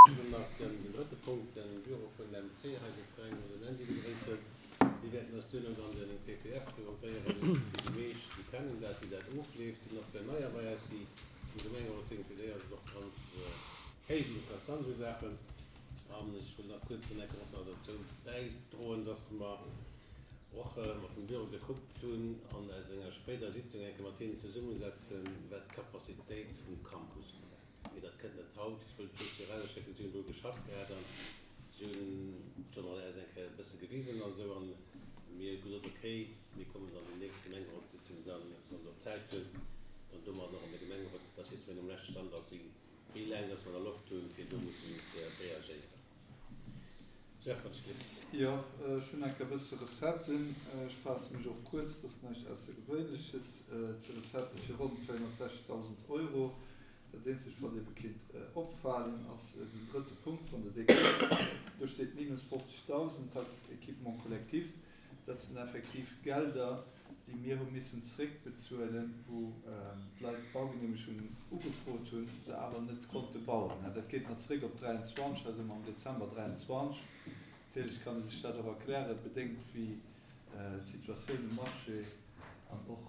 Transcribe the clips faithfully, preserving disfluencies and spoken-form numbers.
Ech wëll nach den drëtte Punkt, den Büro vun der M C hei, de Fränk an den Andy begréissen. Si wäerten eis duerno dann den P P F presentéieren. Déi meescht, déi kennen dat, wéi dat ofleeft, sinn och der neier bei eis, déi am Gemengerot sinn. Fir déi ass et och ganz héich interessant, esou Saachen. An ech wëll nach kuerz dann enke och nach dozou bäidroen, dass mer och mat dem Büro gekuckt hunn an eis enger spéider Sitzung enke mat hinnen zesummesetzen, wat d'Capacitéit vum Campus ubelaangt. Mee dat kënnt net haut. Ech wëllt just virausschécken, si hunn do geschafft gehat an si hunn schonn an eis eng Kéier e bësse gewisen an esou an mir hu gesot, okay, mir kommen dann déi nächst Gemengerotssitzung dann, wann se och Zäit hunn, dann domadder och an de Gemengerot, dass jiddwereen um leschte Stand ass, wéi wéi laang dass mer da Loft hunn, fir do mussen ze reagéieren. Jeff, wat ech gelift. Jo, ech hunn enk e bësse Recetten. Ech faasse mech och kuerz, dat ass näischt Aussergewéinleches. Ze Recettë fir ronn véierhonnertsechzegdausend Euro. Dat eenzegt, wat ebe kinnt opfalen, ass den drëtte Punkt, wann Der dee kuckt. Do steet minus fofzegdausend, Taxe équipement collectif. Dat sinn effektiv Gelder, déi mir hu missen zréckbezuelen, wou d'Leit d'Baugeneemegung ugefrot hunn, se awer net konnte bauen. Dat geet nach zréck op dräianzwanzeg, da si mer am Dezember dräianzwanzeg. Natierlech kann ee sech dat och erklären, bedéngt wéi d'Situatioun um Marché an och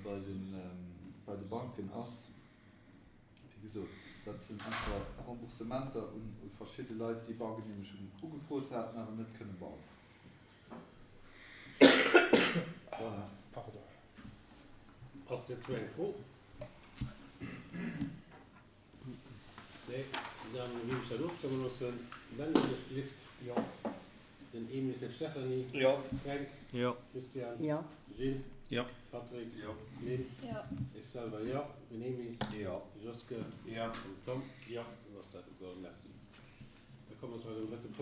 bei de Banken ass. Wéi gesot, dat sinn einfach Remboursementer u verschidde Leit, déi Baugeneemegung ugefrot haten, awer net kënne bauen. Voilà. Pardon. Ass dozou eng Fro? Nee, dann géif ech dat ofstëmme loossen. Ben, wann ech gelift. Jo. Den Emil fir d'Stéphanie. Jo. Fränk. Jo. Christian. Jo. Gilles. Jo. Patrick. Jo. Lynn. Jo. Ech selwer jo. Den Emil. Jo. De Joske. Jo. An den Tom. Jo. Dann ass dat ugeholl. Merci. Da komme mer zu eisem drëtte Punkt.